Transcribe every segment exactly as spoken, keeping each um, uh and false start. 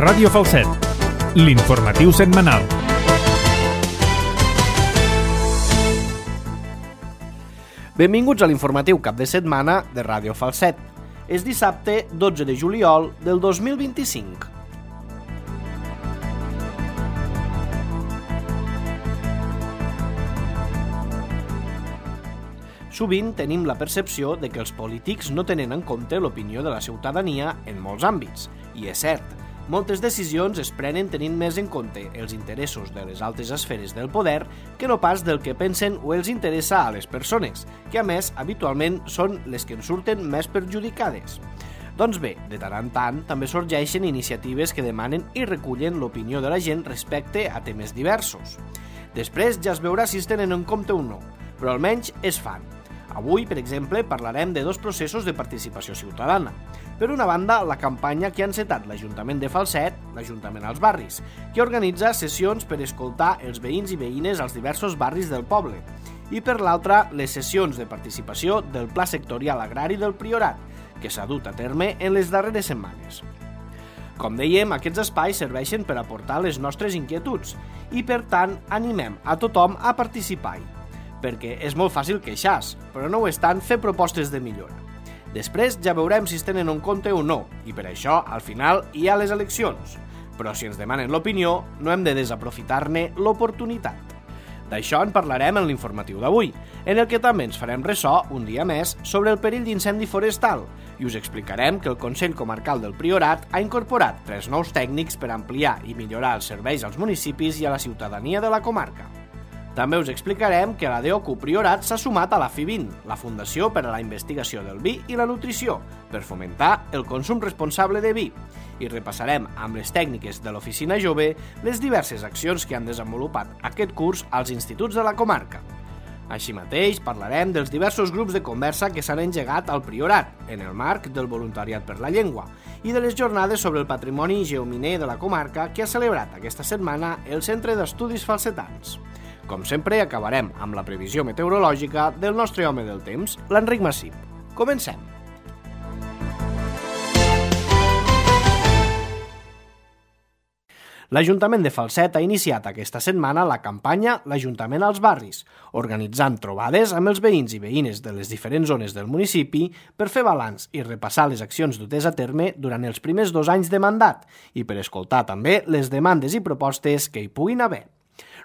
Ràdio Falset, l'informatiu setmanal. Benvinguts a l'informatiu cap de setmana de Ràdio Falset. És dissabte dotze de juliol del dos mil vint-i-cinc. Sovint tenim la percepció de que els polítics no tenen en compte l'opinió de la ciutadania en molts àmbits. I és cert, moltes decisions es prenen tenint més en compte els interessos de les altes esferes del poder que no pas del que pensen o els interessa a les persones, que a més habitualment són les que en surten més perjudicades. Doncs bé, de tant en tant també sorgeixen iniciatives que demanen i recullen l'opinió de la gent respecte a temes diversos. Després ja es veurà si es tenen en compte o no, però almenys es fan. Avui, per exemple, parlarem de dos processos de participació ciutadana. Per una banda, la campanya que ha encetat l'Ajuntament de Falset, l'Ajuntament als Barris, que organitza sessions per escoltar els veïns i veïnes als diversos barris del poble. I per l'altra, les sessions de participació del Pla Sectorial Agrari del Priorat, que s'ha dut a terme en les darreres setmanes. Com dèiem, aquests espais serveixen per aportar les nostres inquietuds i, per tant, animem a tothom a participar-hi. Perquè és molt fàcil queixar-se, però no ho és tant fer propostes de millora. Després ja veurem si es tenen en compte o no, i per això, al final, hi ha les eleccions. Però si ens demanen l'opinió, no hem de desaprofitar-ne l'oportunitat. D'això en parlarem en l'informatiu d'avui, en el que també ens farem ressò, un dia més, sobre el perill d'incendi forestal, i us explicarem que el Consell Comarcal del Priorat ha incorporat tres nous tècnics per ampliar i millorar els serveis als municipis i a la ciutadania de la comarca. També us explicarem que la D O C U Priorat s'ha sumat a la F I vint, la Fundació per a la Investigació del Vi i la Nutrició, per fomentar el consum responsable de vi. I repassarem amb les tècniques de l'Oficina Jove les diverses accions que han desenvolupat aquest curs als instituts de la comarca. Així mateix, parlarem dels diversos grups de conversa que s'han engegat al Priorat, en el marc del Voluntariat per la Llengua, i de les jornades sobre el patrimoni geominer de la comarca que ha celebrat aquesta setmana el Centre d'Estudis Falsetans. Com sempre, acabarem amb la previsió meteorològica del nostre home del temps, l'Enric Massip. Comencem! L'Ajuntament de Falset ha iniciat aquesta setmana la campanya L'Ajuntament als Barris, organitzant trobades amb els veïns i veïnes de les diferents zones del municipi per fer balanç i repassar les accions dutes a terme durant els primers dos anys de mandat i per escoltar també les demandes i propostes que hi puguin haver.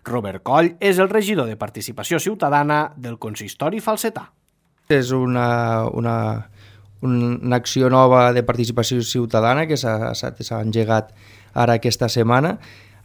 Robert Coll és el regidor de Participació Ciutadana del Consistori Falsetà. És una, una, una acció nova de participació ciutadana que s'ha, s'ha engegat ara aquesta setmana,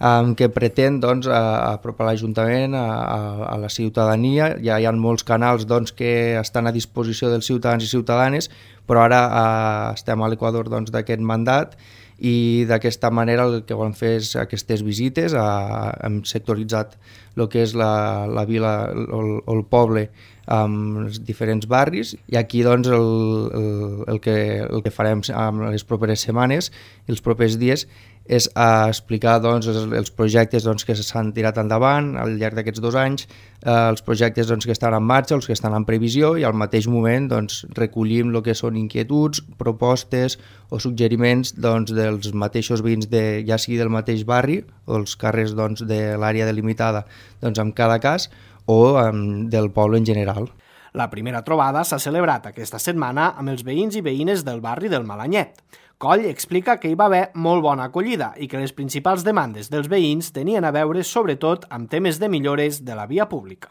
eh, que pretén doncs, apropar l'Ajuntament a, a, a la ciutadania. Ja hi ha molts canals doncs, que estan a disposició dels ciutadans i ciutadanes, però ara eh, estem a l'equador doncs, d'aquest mandat i d'aquesta manera el que volem fer és aquestes visites. A, hem sectoritzat el que és la, la vila o el, el poble amb els diferents barris i aquí doncs, el, el, el, que, el que farem en les properes setmanes i els propers dies és a explicar doncs, els, els projectes doncs, que s'han tirat endavant al llarg d'aquests dos anys, eh, els projectes doncs, que estan en marxa, els que estan en previsió i al mateix moment doncs, recollim el que són inquietuds, propostes o suggeriments doncs, dels mateixos veïns de, ja sigui del mateix barri o els carrers doncs, de l'àrea delimitada doncs, en cada cas o um, del poble en general. La primera trobada s'ha celebrat aquesta setmana amb els veïns i veïnes del barri del Malanyet. Coll explica que hi va haver molt bona acollida i que les principals demandes dels veïns tenien a veure sobretot amb temes de millores de la via pública.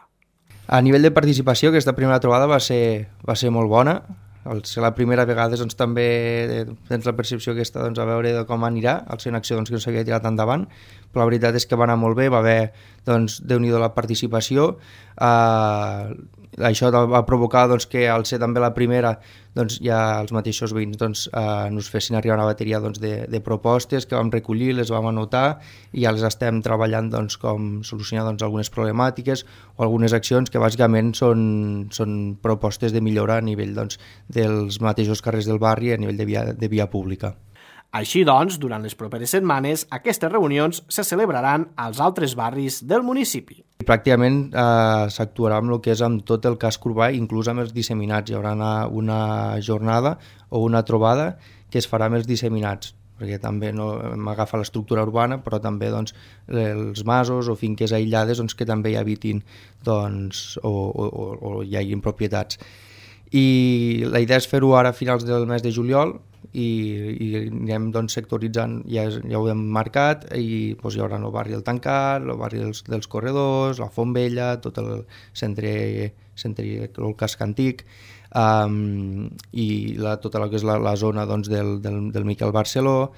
A nivell de participació, aquesta primera trobada va ser, va ser molt bona. Al ser la primera vegada doncs, també tens la percepció aquesta doncs, a veure de com anirà, al ser una acció doncs, que no s'havia tirat endavant, però la veritat és que va anar molt bé, va haver doncs, Déu-n'hi-do la participació. Uh, això va provocar doncs, que al ser també la primera doncs, ja els mateixos veïns doncs, uh, nos fessin arribar una bateria doncs, de, de propostes que vam recollir, les vam anotar i ja les estem treballant doncs, com solucionar doncs, algunes problemàtiques o algunes accions que bàsicament són, són propostes de millora a nivell doncs, dels mateixos carrers del barri a nivell de via, de via pública. Així doncs, durant les properes setmanes, aquestes reunions se celebraran als altres barris del municipi. Pràcticament eh, s'actuarà amb el que és amb tot el casc urbà, inclús amb els disseminats. Hi haurà una, una jornada o una trobada que es farà amb els disseminats. perquè també no m'agafa l'estructura urbana, però també doncs, els masos o finques aïllades doncs, que també hi habitin doncs, o, o, o hi hagin propietats. I la idea és fer-ho ara a finals del mes de juliol i, i anem doncs, sectoritzant, ja, ja ho hem marcat, i doncs, hi haurà el barri del Tancat, el barri dels, dels Corredors, la Font Vella, tot el centre, centre el casc antic, um, i la, tota la que és la, la zona doncs, del, del, del Miquel Barceló.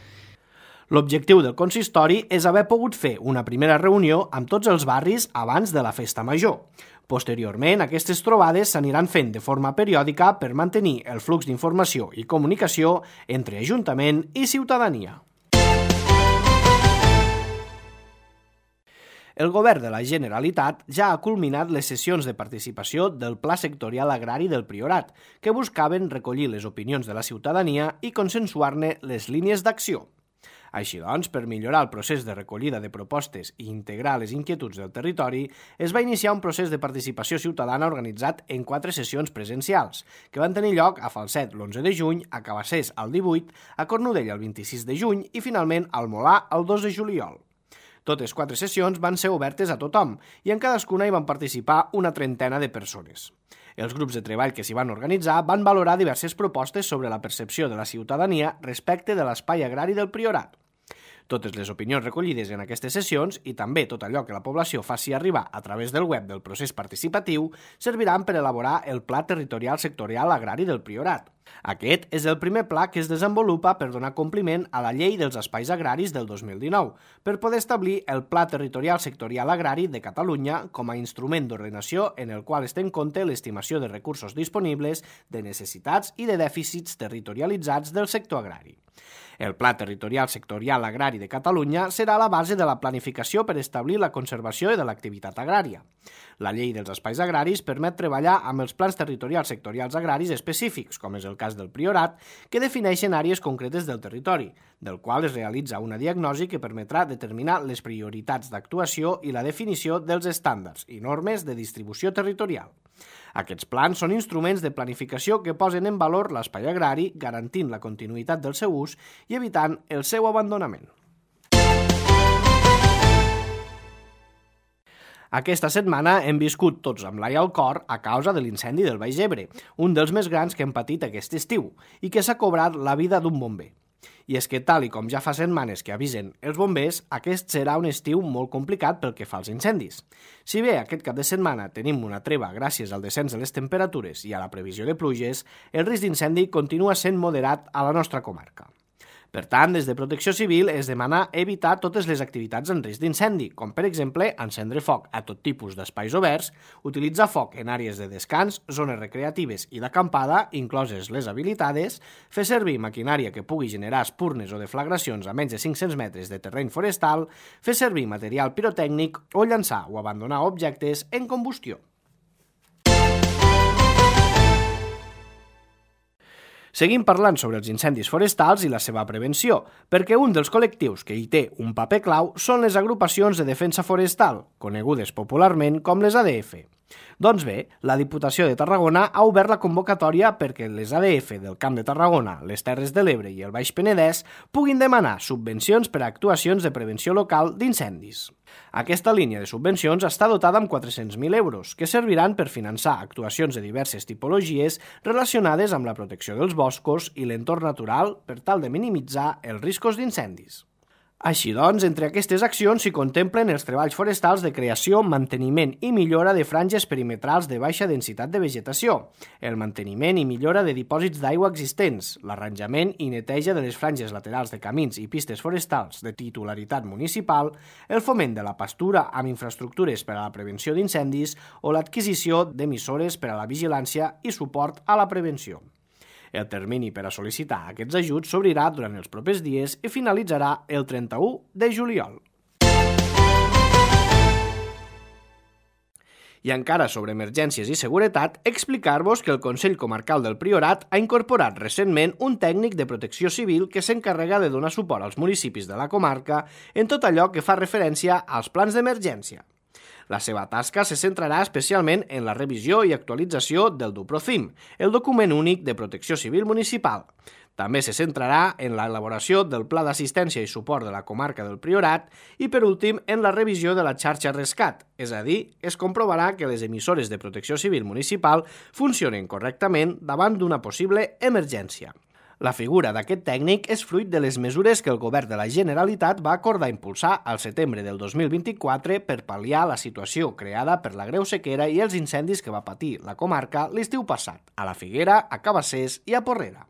L'objectiu del consistori és haver pogut fer una primera reunió amb tots els barris abans de la festa major. Posteriorment, aquestes trobades s'aniran fent de forma periòdica per mantenir el flux d'informació i comunicació entre Ajuntament i ciutadania. El Govern de la Generalitat ja ha culminat les sessions de participació del Pla Sectorial Agrari del Priorat, que buscaven recollir les opinions de la ciutadania i consensuar-ne les línies d'acció. Així doncs, per millorar el procés de recollida de propostes i integrar les inquietuds del territori, es va iniciar un procés de participació ciutadana organitzat en quatre sessions presencials, que van tenir lloc a Falset l'onze de juny, a Cabassers el divuit, a Cornudella el vint-i-sis de juny i finalment al Molà el dos de juliol. Totes quatre sessions van ser obertes a tothom i en cadascuna hi van participar una trentena de persones. Els grups de treball que s'hi van organitzar van valorar diverses propostes sobre la percepció de la ciutadania respecte de l'espai agrari del Priorat. Totes les opinions recollides en aquestes sessions i també tot allò que la població faci arribar a través del web del procés participatiu serviran per elaborar el Pla Territorial Sectorial Agrari del Priorat. Aquest és el primer pla que es desenvolupa per donar compliment a la Llei dels Espais Agraris del dos mil dinou, per poder establir el Pla Territorial Sectorial Agrari de Catalunya com a instrument d'ordenació en el qual es té en compte l'estimació de recursos disponibles, de necessitats i de dèficits territorialitzats del sector agrari. El Pla Territorial Sectorial Agrari de Catalunya serà la base de la planificació per establir la conservació de l'activitat agrària. La Llei dels Espais Agraris permet treballar amb els plans territorials sectorials agraris específics, com és el cas del Priorat, que defineixen àrees concretes del territori, del qual es realitza una diagnosi que permetrà determinar les prioritats d'actuació i la definició dels estàndards i normes de distribució territorial. Aquests plans són instruments de planificació que posen en valor l'espai agrari, garantint la continuïtat del seu ús i evitant el seu abandonament. Aquesta setmana hem viscut tots amb l'ai al cor a causa de l'incendi del Baix Ebre, un dels més grans que hem patit aquest estiu, i que s'ha cobrat la vida d'un bomber. I és que, tal i com ja fa setmanes que avisen els bombers, aquest serà un estiu molt complicat pel que fa als incendis. Si bé aquest cap de setmana tenim una treva gràcies al descens de les temperatures i a la previsió de pluges, el risc d'incendi continua sent moderat a la nostra comarca. Per tant, des de Protecció Civil es demana evitar totes les activitats en risc d'incendi, com per exemple encendre foc a tot tipus d'espais oberts, utilitzar foc en àrees de descans, zones recreatives i d'acampada, incloses les habilitades, fer servir maquinària que pugui generar espurnes o deflagracions a menys de cinc-cents metres de terreny forestal, fer servir material pirotècnic o llançar o abandonar objectes en combustió. Seguim parlant sobre els incendis forestals i la seva prevenció, perquè un dels col·lectius que hi té un paper clau són les agrupacions de defensa forestal, conegudes popularment com les A D F. Doncs bé, la Diputació de Tarragona ha obert la convocatòria perquè les A D F del Camp de Tarragona, les Terres de l'Ebre i el Baix Penedès puguin demanar subvencions per a actuacions de prevenció local d'incendis. Aquesta línia de subvencions està dotada amb quatre-cents mil euros, que serviran per finançar actuacions de diverses tipologies relacionades amb la protecció dels boscos i l'entorn natural per tal de minimitzar els riscos d'incendis. Així doncs, entre aquestes accions s'hi contemplen els treballs forestals de creació, manteniment i millora de franges perimetrals de baixa densitat de vegetació, el manteniment i millora de dipòsits d'aigua existents, l'arranjament i neteja de les franges laterals de camins i pistes forestals de titularitat municipal, el foment de la pastura amb infraestructures per a la prevenció d'incendis o l'adquisició d'emissores per a la vigilància i suport a la prevenció. El termini per a sol·licitar aquests ajuts s'obrirà durant els propers dies i finalitzarà el trenta-u de juliol. I encara sobre emergències i seguretat, explicar-vos que el Consell Comarcal del Priorat ha incorporat recentment un tècnic de protecció civil que s'encarrega de donar suport als municipis de la comarca en tot allò que fa referència als plans d'emergència. La seva tasca se centrarà especialment en la revisió i actualització del DUPROCIM, el document únic de protecció civil municipal. També se centrarà en l'elaboració del Pla d'Assistència i Suport de la Comarca del Priorat i, per últim, en la revisió de la xarxa Rescat, és a dir, es comprovarà que les emissores de protecció civil municipal funcionen correctament davant d'una possible emergència. La figura d'aquest tècnic és fruit de les mesures que el Govern de la Generalitat va acordar impulsar al setembre del dos mil vint-i-quatre per pal·liar la situació creada per la greu sequera i els incendis que va patir la comarca l'estiu passat, a la Figuera, a Cabassers i a Porrera.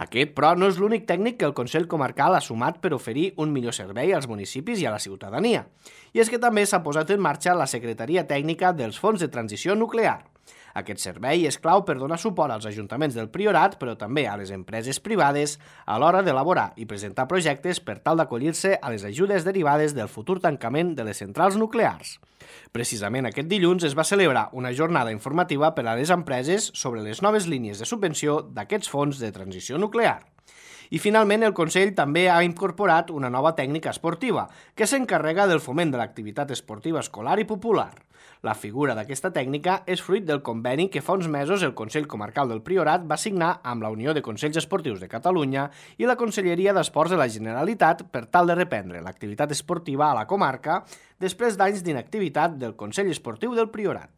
Aquest, però, no és l'únic tècnic que el Consell Comarcal ha sumat per oferir un millor servei als municipis i a la ciutadania. I és que també s'ha posat en marxa la Secretaria Tècnica dels Fons de Transició Nuclear. Aquest servei és clau per donar suport als ajuntaments del Priorat, però també a les empreses privades a l'hora d'elaborar i presentar projectes per tal d'acollir-se a les ajudes derivades del futur tancament de les centrals nuclears. Precisament aquest dilluns es va celebrar una jornada informativa per a les empreses sobre les noves línies de subvenció d'aquests fons de transició nuclear. I finalment el Consell també ha incorporat una nova tècnica esportiva que s'encarrega del foment de l'activitat esportiva escolar i popular. La figura d'aquesta tècnica és fruit del conveni que fa uns mesos el Consell Comarcal del Priorat va signar amb la Unió de Consells Esportius de Catalunya i la Conselleria d'Esports de la Generalitat per tal de reprendre l'activitat esportiva a la comarca després d'anys d'inactivitat del Consell Esportiu del Priorat.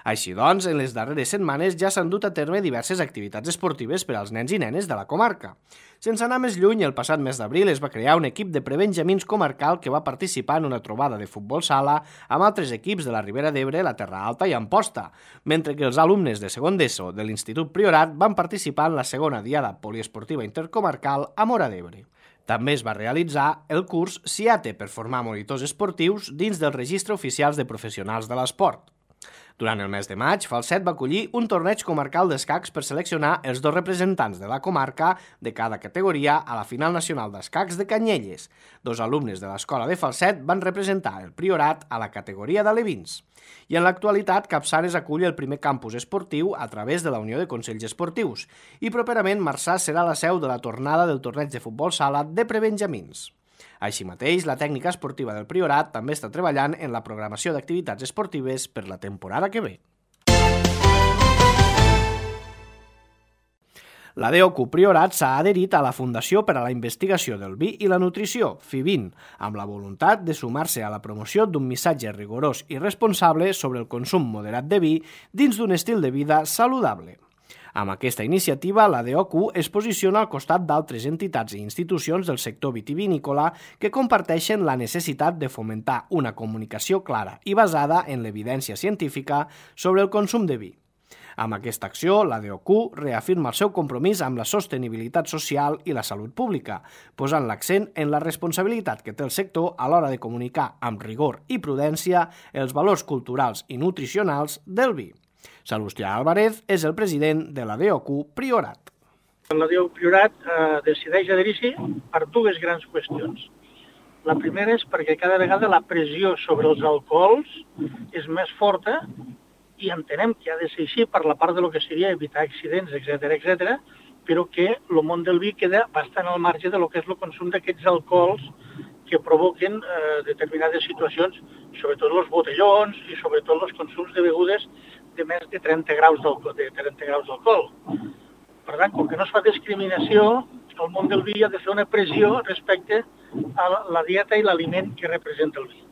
Així doncs, en les darreres setmanes ja s'han dut a terme diverses activitats esportives per als nens i nenes de la comarca. Sense anar més lluny, el passat mes d'abril es va crear un equip de prebenjamins comarcal que va participar en una trobada de futbol sala amb altres equips de la Ribera d'Ebre, la Terra Alta i Amposta, mentre que els alumnes de segon d'ESO de l'Institut Priorat van participar en la segona diada poliesportiva intercomarcal a Móra d'Ebre. També es va realitzar el curs CIATE per formar monitors esportius dins del Registre Oficials de Professionals de l'Esport. Durant el mes de maig, Falset va acollir un torneig comarcal d'escacs per seleccionar els dos representants de la comarca de cada categoria a la final nacional d'escacs de Canyelles. Dos alumnes de l'escola de Falset van representar el Priorat a la categoria d'alevins. I en l'actualitat, Capçanes acull el primer campus esportiu a través de la Unió de Consells Esportius i properament Marçà serà la seu de la tornada del torneig de futbol sala de prebenjamins. Així mateix, la tècnica esportiva del Priorat també està treballant en la programació d'activitats esportives per la temporada que ve. La D O C U Priorat s'ha adherit a la Fundació per a la Investigació del Vi i la Nutrició, FIVIN, amb la voluntat de sumar-se a la promoció d'un missatge rigorós i responsable sobre el consum moderat de vi dins d'un estil de vida saludable. Amb aquesta iniciativa, la D O C U es posiciona al costat d'altres entitats i institucions del sector vitivinícola que comparteixen la necessitat de fomentar una comunicació clara i basada en l'evidència científica sobre el consum de vi. Amb aquesta acció, la D O C U reafirma el seu compromís amb la sostenibilitat social i la salut pública, posant l'accent en la responsabilitat que té el sector a l'hora de comunicar amb rigor i prudència els valors culturals i nutricionals del vi. Salustià Álvarez és el president de la D O C U Priorat. La D O C U Priorat eh, decideix adherir-s'hi per dues grans qüestions. La primera és perquè cada vegada la pressió sobre els alcohols és més forta i entenem que ha de ser així per la part de lo que seria evitar accidents, etcètera, etcètera, però que el món del vi queda bastant al marge de lo que és el consum d'aquests alcohols que provoquen eh, determinades situacions, sobretot els botellons i sobretot els consums de begudes de més de trenta graus d'alcohol. Per tant, com que no es fa discriminació, el món del vi ha de fer una pressió respecte a la dieta i l'aliment que representa el vi.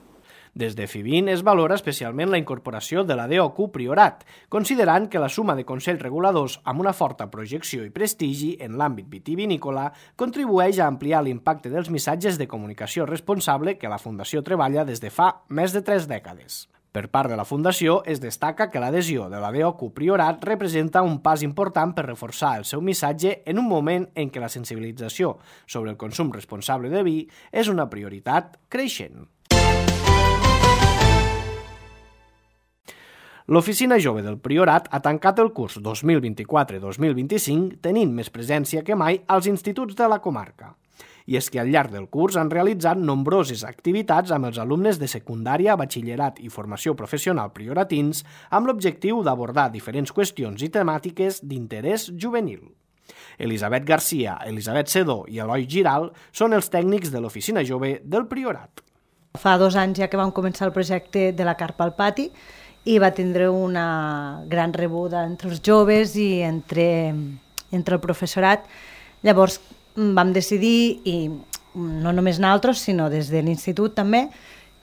Des de FIVIN es valora especialment la incorporació de la D O C U Priorat, considerant que la suma de consells reguladors amb una forta projecció i prestigi en l'àmbit vitivinícola contribueix a ampliar l'impacte dels missatges de comunicació responsable que la Fundació treballa des de fa més de tres dècades. Per part de la Fundació, es destaca que l'adhesió de la D O C U Priorat representa un pas important per reforçar el seu missatge en un moment en què la sensibilització sobre el consum responsable de vi és una prioritat creixent. L'Oficina Jove del Priorat ha tancat el curs dos mil vint-i-quatre dos mil vint-i-cinc tenint més presència que mai als instituts de la comarca. I és que al llarg del curs han realitzat nombroses activitats amb els alumnes de secundària, batxillerat i formació professional prioratins amb l'objectiu d'abordar diferents qüestions i temàtiques d'interès juvenil. Elisabet Garcia, Elisabet Sedó i Eloi Giral són els tècnics de l'Oficina Jove del Priorat. Fa dos anys ja que vam començar el projecte de la carpa al pati i va tindre una gran rebuda entre els joves i entre, entre el professorat. Llavors vam decidir, i no només nosaltres, sinó des de l'institut també,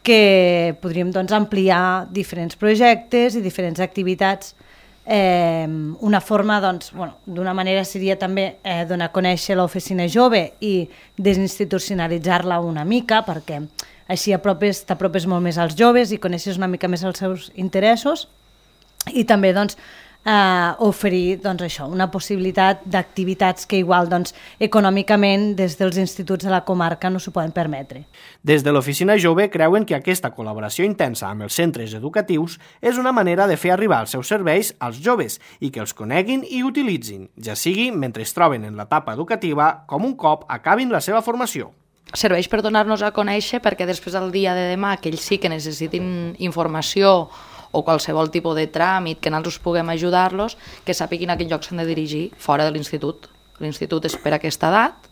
que podríem doncs, ampliar diferents projectes i diferents activitats. Eh, una forma, doncs, bueno, d'una manera seria també eh, donar a conèixer l'oficina jove i desinstitucionalitzar-la una mica, perquè així apropes, t'apropes molt més als joves i coneixes una mica més els seus interessos, i també doncs, eh, oferir doncs, això, una possibilitat d'activitats que igual doncs, econòmicament des dels instituts de la comarca no s'ho poden permetre. Des de l'Oficina Jove creuen que aquesta col·laboració intensa amb els centres educatius és una manera de fer arribar els seus serveis als joves i que els coneguin i utilitzin, ja sigui mentre es troben en l'etapa educativa com un cop acabin la seva formació. Serveix per donar-nos a conèixer perquè després del dia de demà que ells sí que necessitin informació o qualsevol tipus de tràmit que nosaltres puguem ajudar-los, que sàpiguin a quin lloc s'han de dirigir fora de l'institut. L'institut és per aquesta edat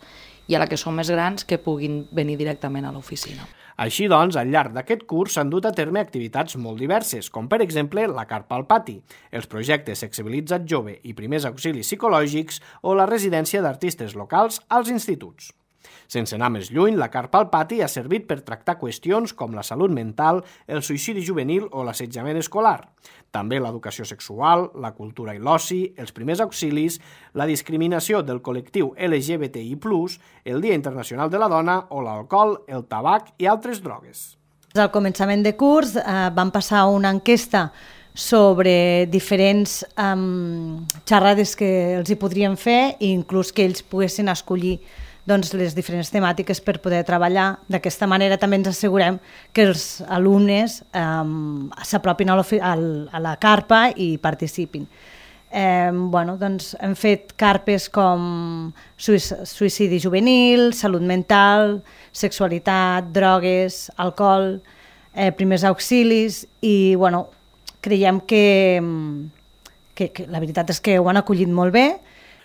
i a la que són més grans que puguin venir directament a l'oficina. Així doncs, al llarg d'aquest curs s'han dut a terme activitats molt diverses, com per exemple la carpa al pati, els projectes Sensibilitzat Jove i primers auxilis psicològics o la residència d'artistes locals als instituts. Sense anar més lluny, la carpa al pati ha servit per tractar qüestions com la salut mental, el suïcidi juvenil o l'assetjament escolar. També l'educació sexual, la cultura i l'oci, els primers auxilis, la discriminació del col·lectiu L G B T I plus, el Dia Internacional de la Dona o l'alcohol, el tabac i altres drogues. Al començament de curs eh, vam passar una enquesta sobre diferents um, xerrades que els hi podrien fer i inclús que ells poguessin escollir doncs, les diferents temàtiques per poder treballar. D'aquesta manera també ens assegurem que els alumnes um, s'apropin a, a la carpa i participin. Eh, bueno, doncs, hem fet carpes com suïcidi juvenil, salut mental, sexualitat, drogues, alcohol, eh, primers auxilis i bueno, creiem que, que, que la veritat és que ho han acollit molt bé.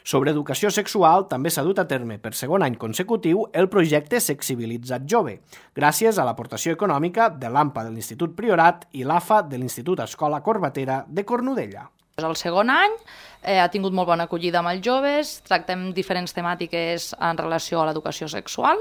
Sobre educació sexual també s'ha dut a terme per segon any consecutiu el projecte Sensibilitzat Jove, gràcies a l'aportació econòmica de l'A M P A de l'Institut Priorat i l'A F A de l'Institut Escola Corbatera de Cornudella. El segon any eh, ha tingut molt bona acollida amb els joves, tractem diferents temàtiques en relació a l'educació sexual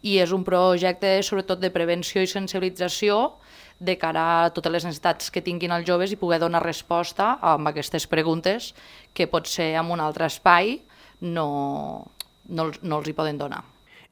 i és un projecte sobretot de prevenció i sensibilització de cara a totes les necessitats que tinguin els joves i poder donar resposta a aquestes preguntes que potser en un altre espai no, no, no els hi poden donar.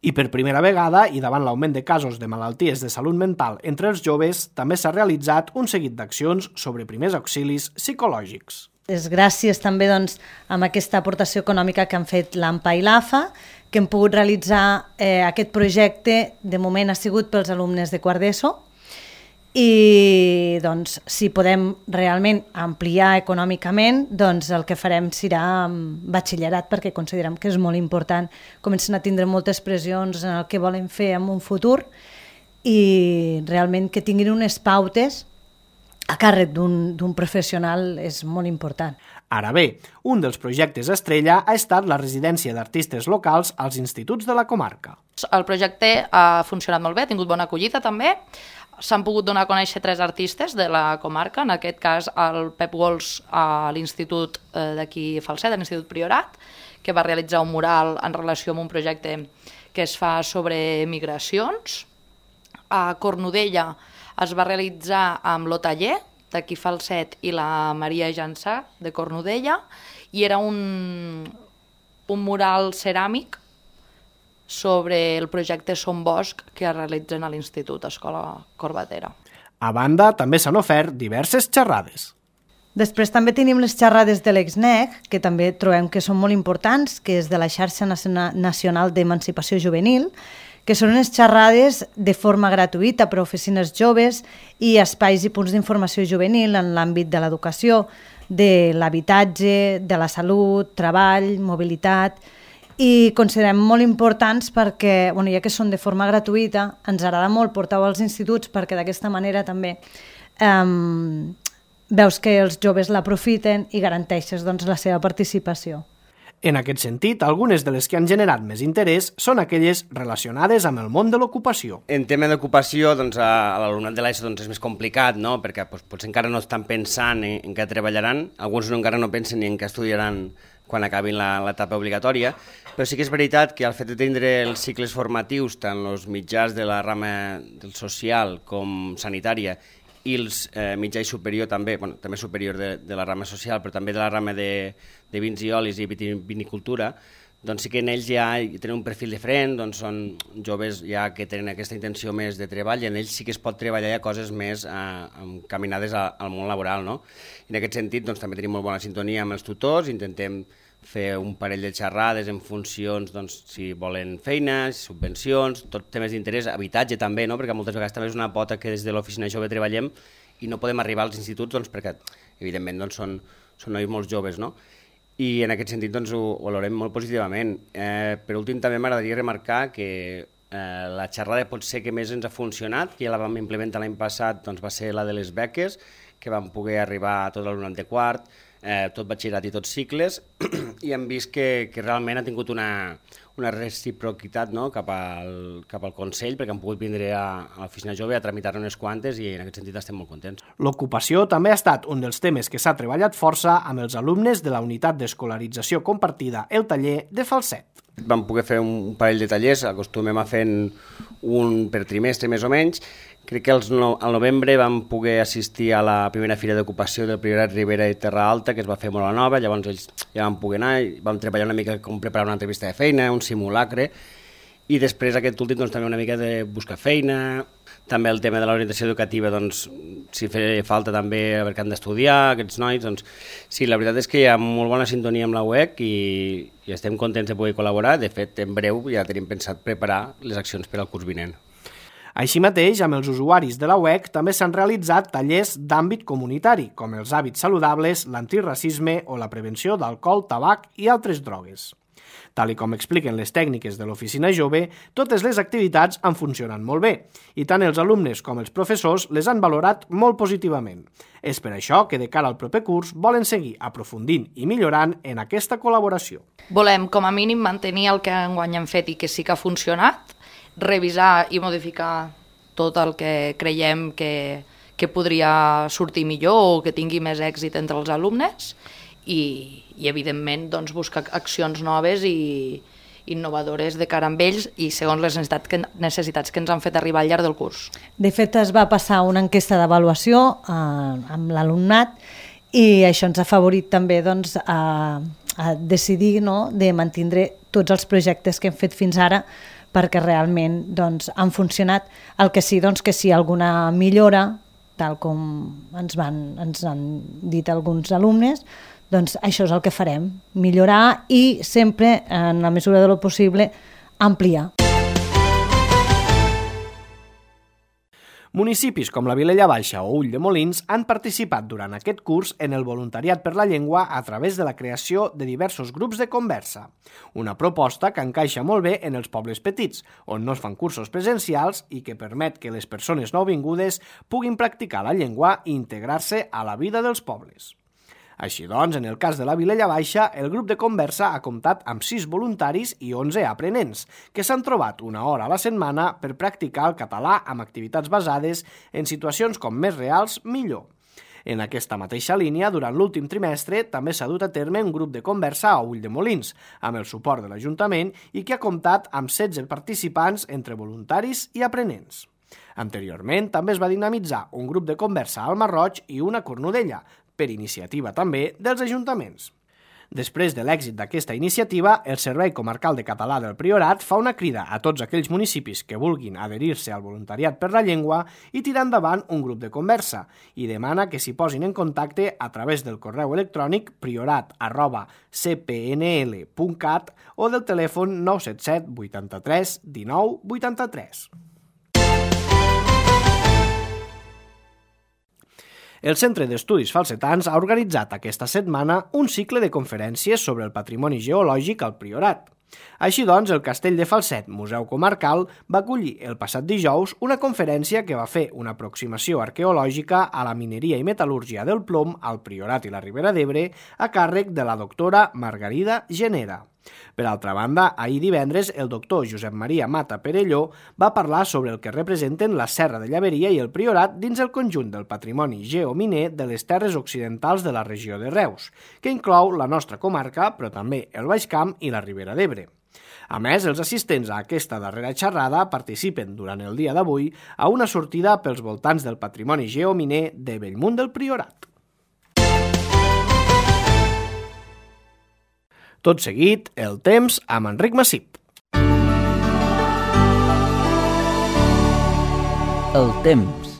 I per primera vegada, i davant l'augment de casos de malalties de salut mental entre els joves, també s'ha realitzat un seguit d'accions sobre primers auxilis psicològics. És gràcies també doncs, amb aquesta aportació econòmica que han fet l'A M P A i l'A F A que hem pogut realitzar eh, aquest projecte. De moment ha sigut pels alumnes de quart d'ESO i doncs, si podem realment ampliar econòmicament, doncs el que farem serà batxillerat perquè considerem que és molt important. Comencen a tindre moltes pressions en el que volen fer en un futur i realment que tinguin unes pautes a càrrec d'un professional és molt important. Ara bé, un dels projectes estrella ha estat la residència d'artistes locals als instituts de la comarca. El projecte ha funcionat molt bé, ha tingut bona acollida també. S'han pogut donar a conèixer tres artistes de la comarca, en aquest cas el Pep Gols a l'Institut d'aquí Falset, a l'Institut Priorat, que va realitzar un mural en relació amb un projecte que es fa sobre migracions. A Cornudella es va realitzar amb l'Otaller, d'aquí Falset, i la Maria Jansà, de Cornudella, i era un, un mural ceràmic sobre el projecte Som Bosc que es realitzen a l'Institut Escola Corbatera. A banda, també s'han ofert diverses xerrades. Després també tenim les xerrades de l'E X N E C, que també trobem que són molt importants, que és de la Xarxa Nacional d'Emancipació Juvenil, que són unes xerrades de forma gratuïta per a oficines joves i espais i punts d'informació juvenil en l'àmbit de l'educació, de l'habitatge, de la salut, treball, mobilitat, i considerem molt importants perquè, bueno, ja que són de forma gratuïta, ens agrada molt portar-ho als instituts perquè d'aquesta manera també um, veus que els joves l'aprofiten i garanteixes doncs, la seva participació. En aquest sentit, algunes de les que han generat més interès són aquelles relacionades amb el món de l'ocupació. En tema d'ocupació, doncs, a l'alumnat de l'ESO doncs, és més complicat, no? Perquè doncs, potser encara no estan pensant en, en què treballaran, alguns no, encara no pensen ni en què estudiaran quan acabin l'etapa obligatòria, però sí que és veritat que el fet de tindre els cicles formatius, tant els mitjans de la rama del social com sanitària, i els eh, mitjà i superior també, bueno, també superior de, de la rama social, però també de la rama de, de vins i olis i vinicultura, doncs sí que en ells ja tenen un perfil diferent, doncs són joves ja que tenen aquesta intenció més de treball i en ells sí que es pot treballar ja coses més eh, encaminades a, al món laboral, no? I en aquest sentit doncs, també tenim molt bona sintonia amb els tutors, intentem fer un parell de xerrades en funcions, doncs, si volen feines, subvencions, tot temes d'interès, habitatge també, no? Perquè moltes vegades també és una pota que des de l'oficina jove treballem i no podem arribar als instituts doncs, perquè, evidentment, doncs, són, són nois molt joves, no? I en aquest sentit doncs, ho, ho valorem molt positivament. Eh, per últim, també m'agradaria remarcar que eh, la xerrada potser que més ens ha funcionat, que ja la vam implementar l'any passat, doncs, va ser la de les beques, que vam poder arribar a tot l'alumnat de quart, eh, tot batxillerat i tots cicles, i hem vist que, que realment ha tingut una, una reciprocitat, no? cap, al, cap al Consell, perquè han pogut vindre a, a l'oficina jove a tramitar unes quantes i en aquest sentit estem molt contents. L'ocupació també ha estat un dels temes que s'ha treballat força amb els alumnes de la unitat d'escolarització compartida, el taller de falset. Vam poder fer un parell de tallers, acostumem a fer un per trimestre més o menys. Crec que no, al novembre vam poder assistir a la primera fira d'ocupació del Priorat Ribera i Terra Alta, que es va fer molt a la nova, llavors ells ja vam poder anar, i vam treballar una mica com preparar una entrevista de feina, un simulacre, i després aquest últim doncs, també una mica de buscar feina, també el tema de l'orientació educativa, doncs, si feia falta també a veure què han d'estudiar, aquests nois, doncs sí, la veritat és que hi ha molt bona sintonia amb la U E C i, i estem contents de poder col·laborar. De fet, en breu ja tenim pensat preparar les accions per al curs vinent. Així mateix, amb els usuaris de la U E C també s'han realitzat tallers d'àmbit comunitari, com els hàbits saludables, l'antiracisme o la prevenció d'alcohol, tabac i altres drogues. Tal i com expliquen les tècniques de l'Oficina Jove, totes les activitats han funcionat molt bé, i tant els alumnes com els professors les han valorat molt positivament. És per això que de cara al proper curs volen seguir aprofundint i millorant en aquesta col·laboració. Volem, com a mínim, mantenir el que enguany hem fet i que sí que ha funcionat, revisar i modificar tot el que creiem que, que podria sortir millor o que tingui més èxit entre els alumnes i, i evidentment, doncs, buscar accions noves i innovadores de cara amb ells i segons les necessitats que, necessitats que ens han fet arribar al llarg del curs. De fet, es va passar una enquesta d'avaluació eh, amb l'alumnat i això ens ha favorit també doncs, a, a decidir, no?, de mantindre tots els projectes que hem fet fins ara perquè realment doncs, han funcionat. El que sí, doncs, que si alguna millora, tal com ens, van, ens han dit alguns alumnes, doncs això és el que farem, millorar i sempre, en la mesura de lo possible, ampliar. Municipis com la Vilella Baixa o Ulldemolins han participat durant aquest curs en el voluntariat per la llengua a través de la creació de diversos grups de conversa. Una proposta que encaixa molt bé en els pobles petits, on no es fan cursos presencials i que permet que les persones nouvingudes puguin practicar la llengua i integrar-se a la vida dels pobles. Així doncs, en el cas de la Vilella Baixa, el grup de conversa ha comptat amb sis voluntaris i onze aprenents, que s'han trobat una hora a la setmana per practicar el català amb activitats basades en situacions com més reals, millor. En aquesta mateixa línia, durant l'últim trimestre, també s'ha dut a terme un grup de conversa a Ulldemolins, amb el suport de l'Ajuntament i que ha comptat amb setze participants entre voluntaris i aprenents. Anteriorment, també es va dinamitzar un grup de conversa al Masroig i una a Cornudella, per iniciativa també dels ajuntaments. Després de l'èxit d'aquesta iniciativa, el Servei Comarcal de Català del Priorat fa una crida a tots aquells municipis que vulguin adherir-se al voluntariat per la llengua i tirar endavant un grup de conversa i demana que s'hi posin en contacte a través del correu electrònic priorat arroba c p n l punt cat o del telèfon nou set set vuitanta-tres dinou vuitanta-tres. El Centre d'Estudis Falsetans ha organitzat aquesta setmana un cicle de conferències sobre el patrimoni geològic al Priorat. Així doncs, el Castell de Falset, Museu Comarcal, va acollir el passat dijous una conferència que va fer una aproximació arqueològica a la mineria i metal·lúrgia del plom al Priorat i la Ribera d'Ebre a càrrec de la doctora Margarida Genera. Per altra banda, ahir divendres, el doctor Josep Maria Mata Perelló va parlar sobre el que representen la Serra de Llaveria i el Priorat dins el conjunt del patrimoni geominer de les terres occidentals de la regió de Reus, que inclou la nostra comarca, però també el Baix Camp i la Ribera d'Ebre. A més, els assistents a aquesta darrera xerrada participen durant el dia d'avui a una sortida pels voltants del patrimoni geominer de Bellmunt del Priorat. Tot seguit, el temps amb Enric Massip. El temps.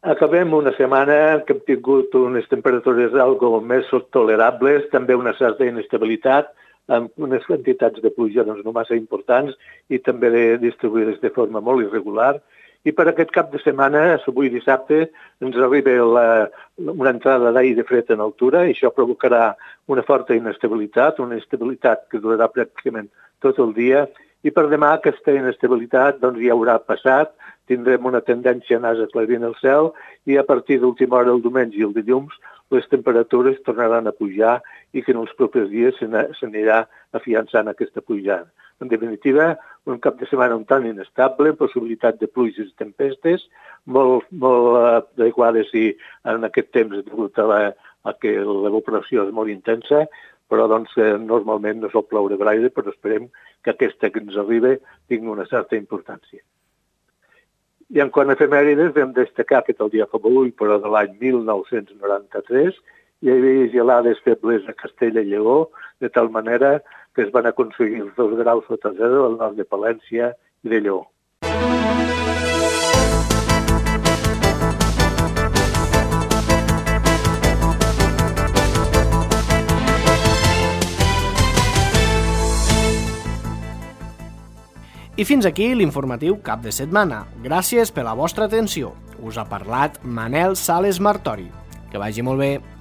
Acabem una setmana que hem tingut unes temperatures algo més tolerables, també una certa inestabilitat, amb unes quantitats de pluja doncs, no massa importants i també de, distribuïdes de forma molt irregular. I per aquest cap de setmana, avui dissabte, ens arriba la, una entrada d'aire fred en altura i això provocarà una forta inestabilitat, una inestabilitat que durarà pràcticament tot el dia. I per demà aquesta inestabilitat doncs, ja haurà passat, tindrem una tendència a anar aclarint el cel i a partir d'última hora el diumenge i el dilluns les temperatures tornaran a pujar i que en els propers dies s'anirà afiançant aquesta pujada. En definitiva, un cap de setmana un tant inestable, possibilitat de pluges i tempestes, molt, molt adequades i en aquest temps degut a, la, a que l'evaporació és molt intensa, però doncs, normalment no sol ploure gaire, però esperem que aquesta que ens arriba tingui una certa importància. I en quant a efemèrides, vam destacar que el dia fa avui, però de l'any mil nou-cents noranta-tres, hi havia gelades febles a Castella i Lleó, de tal manera que es van aconseguir els dos graus sota zero al nord de Palència i de Lleó. I fins aquí l'informatiu cap de setmana. Gràcies per la vostra atenció. Us ha parlat Manel Sales Martori. Que vagi molt bé.